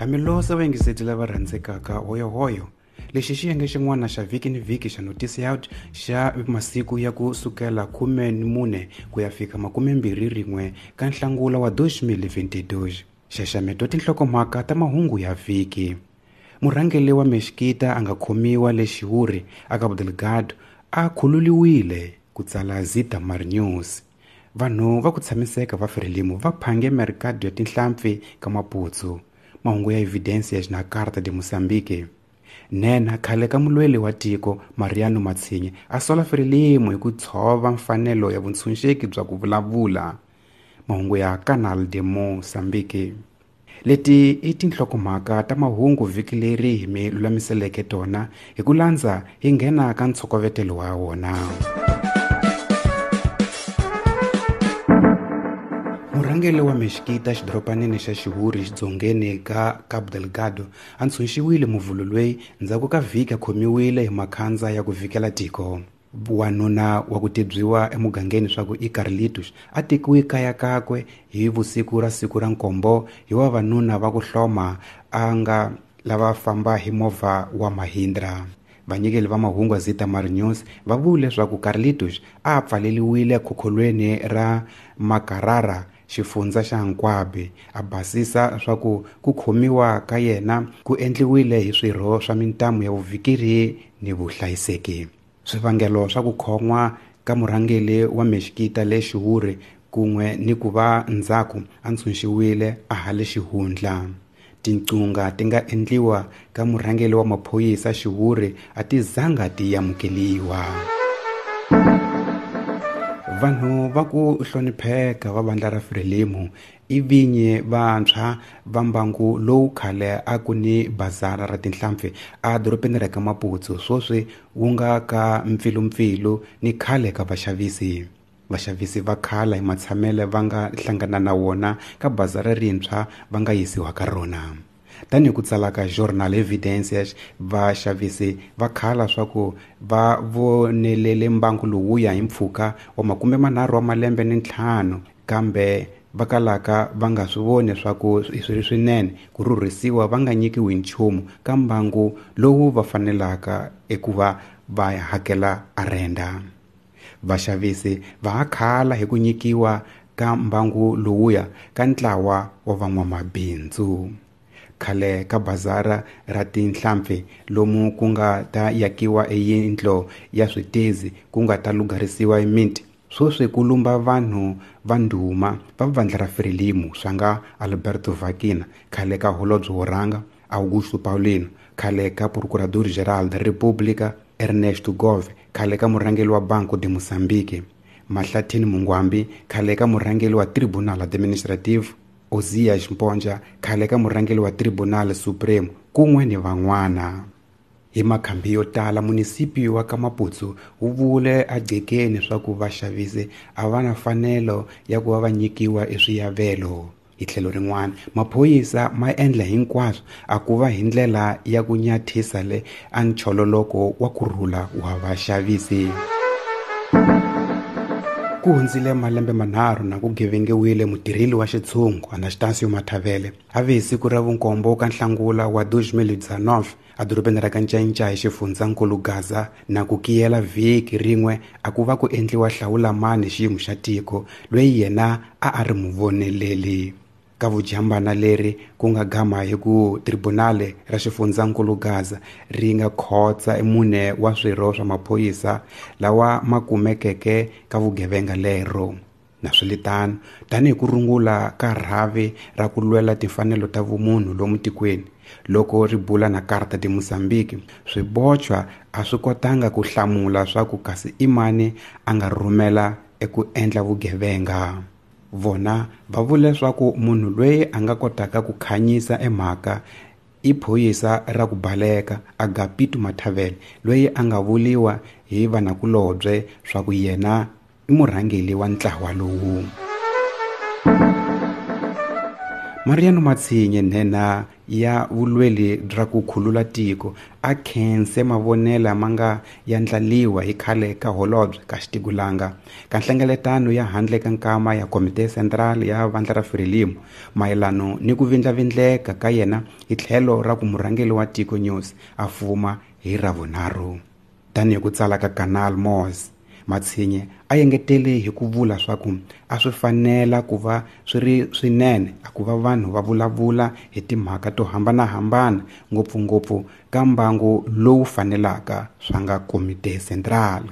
Hamilosa vayingiseti lava rhandzekaka hoyohoyo lexi xiyenge xin'wana xa vhiki ni vhiki xa Noticiado xa masiku ya ku sukela 14 ku ya fika 21 ka Nhlangula wa 2022. Xaxameto tinhlokomhaka ta mahungu ya vhiki. Murhangeri wa Mexikita a nga khomiwa le Xiwuri a Cabo Delgado a khululiwile, ku tsala Zitamar News. Vanhu va ku tshamiseka va Frelimo va phange merikado ya tinhlampfi ka Maputo. Mahungu ya Evidencias na Carta de Moçambique. Nhenha khale ka mulweli wa tiko Mariano Matsinhe a sola Frelimo hi ku tshova mfanelo ya vuntshunxeki bya ku vulavula. Mahungu ya Canal de Moçambique. Leti i tinhlokomhaka ta mahungu vhiki leri hi mi lulamiseleke tona hi ku landza hi nghena ka ntshokovetelo wa wona. Murhangeri wa Mexikita xidoropanini xa Xiwuri xidzongeni ka Cabo Delgado a ntshunxiwile muvhulo loyi ndzhaku ka vhiki a khomiwile hi makhandza ya ku vhikela tiko. Wanuna wa ku tibyiwa emugangeni swa ku i Carlitos a tekiwe kaya kakwe hi vusiku ra siku ra nkombo hi vavanuna va ku hloma a nga lava famba hi movha wa Mahindra. Vanyikeli va mahungu ya Zitamar News va vule leswaku Carlitos a pfaleliwile khokholweni ra Makarara xifundza xa Nkwabe a basisa swa ku ku khomiwa ka yena ku endliwile hi swirho swa mintamu ya vuvikeri ni vuhlayiseki. Swivangelo swa ku khon'wa ka murhangeri wa Mexikita le Xiwuri kun'we ni ku va ndzhaku a ntshunxiwile a ha le xihundla. Tinqunga ti nga endliwa ka murhangeri wa maphorisa Xiwuri a ti zanga ti amukeliwa. Vanhu va ku hlonipheka va vandla ra Frelimo i vinyi vantshwa va mbangu lowu khale a ku ni bazara ra tinhlampfi a dorobeni ra ka Maputo sweswi wu nga ka mpfilumpfilu ni khale ka vaxavisi. Vaxavisi va khala hi matshamele va nga hlangana na wona ka bazara rintshwa va nga yisiwa ka rona. Tanihi ku tsala ka Jornal Evidencias, vaxavisi va khala swa ku va vonelele mbangu lowuya hi mpfhuka wa 35 wa malembe ni 5 kambe va kalaka va nga swi voni swa ku swi ri swinene ku rhurhisiwa va nga nyikiwi nchumu ka mbangu lowu va fanelaka eku va va hakela arenda. Vaxavisi va ha khala hi ku nyikiwa ka mbangu lowuya ka ntlawa wa van'wamabindzu. Khale ka bazara ra tinhlampfi lomu ku nga ta yakiwa eyindlo ya switezi ku nga ta lugharisiwa eminti sweswi ku lumba vanhu va ndhuma va vandla ra Frelimo swa nga Alberto Vaquina khale ka holobye wo rhanga, Augusto Paulino khale ka Procurador Geral da República, Ernesto Gove khale ka murhangeri wa Banco de Moçambique, Mahlathini Mungwambi khale ka murhangeri wa Tribunal Administrativo, Ozias Mponja khale ka murhangeri wa Tribunal Supremo kun'we ni van'wana. Hi makhambi yo tala munisipi wa ka Maputo wu vule agcekeni swa ku vaxavisi a va na mfanelo ya ku va va nyikiwa eswiyavelo. Hi tlhelo rin'wana maphorisa ma endla hinkwaswo a ku va hi ndlela ya ku nyathisa le a nchololoko wa kurhula wa vaxavisi. Ku hundzile malembe manharhu na ku gevengiwile mutirheli wa xitshungu Anastasio Mathavele a ve hi siku ra vunkombo ka Nhlangula wa 2019 a dorobeni ra ka Ncayincaya xifundzankulu Gaza na ku kiyela vhiki rin'we a ku va ku endliwa hlawulamani xiyimo xa tiko loyi yena a a ri muvoneleli. Ka vujambana leri ku nga gama hi ku tribunale ra xifundzankulu Gaza ri nga khotsa mune wa swirho swa maphorisa lawa ma kumekeke ka vugevenga lero. Naswilitano tanihi ku rungula ka rhavi ra ku lwela timfanelo ta vumunhu lomu tikweni loko ri bula na Carta de Moçambique swibochwa a swi kotanga ku hlamula swa ku kasi i mani a nga rhumela eku endla vugevenga. Vona va vule leswaku munhu loyi a nga kotaka ku khanyisa emhaka i phorisa ra ku baleka Agapito Mathavele loyi a nga vuliwa hi vanakulobye swa ku yena i murhangeri wa ntlawa lowu. Mariano Matsinye, nhenha ya vulweli bya ku khulula tiko, a khense mavonela ma nga yandlaliwa hi khale ka holobye ka Xitigulanga ka nhlengeletano ya handle ka nkama ya Komite Central ya Vandla ra Frelimo mayelano ni ku vindlavindleka ka yena hi tlhelo ra ku murhangeri wa tiko Nyusi a fuma hi Ravunharhu. Tanihi ku tsala ka Canal Mos, Matsinye a engetele hi ku vula swa ku a swi fanela ku va swi ri swinene a ku va vanhu va vulavula hi timhaka to hambanahambana, ngopfungopfu ka mbangu lowu fanelaka swa nga Komite Central.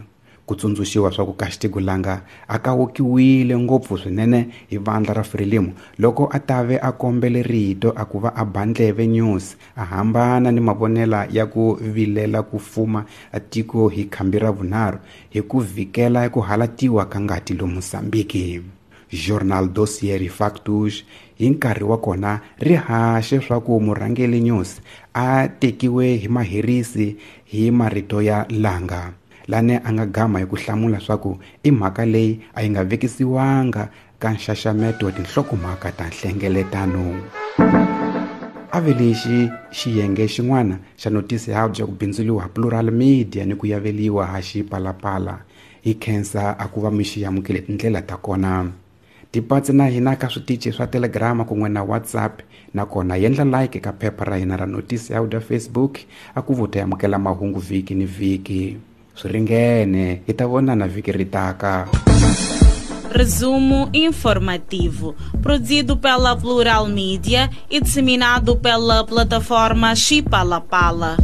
Ku tsundzuxiwa swa ku Kaxitigulanga a kawukiwile ngopfu swinene hi vandla ra Frelimo loko a tave a kombele rito a ku va a ba ndleve Nyusi, a hambana ni mavonela ya ku vilela ku fuma tiko hi khambi ra vunharhu hi ku vhikela ku halatiwa ka ngati lomu Mozambique. Journal Dossier Factus hi nkarhi wa kona ri haxe swa ku murhangeri Nyusi a tekiwe hi maherisi hi marito ya Langa, lane a nga gama hi ku hlamula swa ku i mhaka leyi a yi nga vekisiwanga ka nxaxameto wa tinhlokomhaka ta nhlengeletano. A ve lexi xiyenge xin'wana xa notisi ya bya ku bindzuriwa Plural Media ni ku yaveliwa ha Xipalapala. Hi khensa a ku va mi xi amukele tindlela ta kona. Tipatsi na hina ka switichi swa Telegram kun'we na WhatsApp, nakona yendla like ka phepha ra hina ra notisi ya bya Facebook a ku vuta amukela mahungu vhiki ni vhiki. Swi ringene, hi ta vonana vhiki ri taka. Resumo informativo, produzido pela Plural Mídia e disseminado pela plataforma Xipalapala.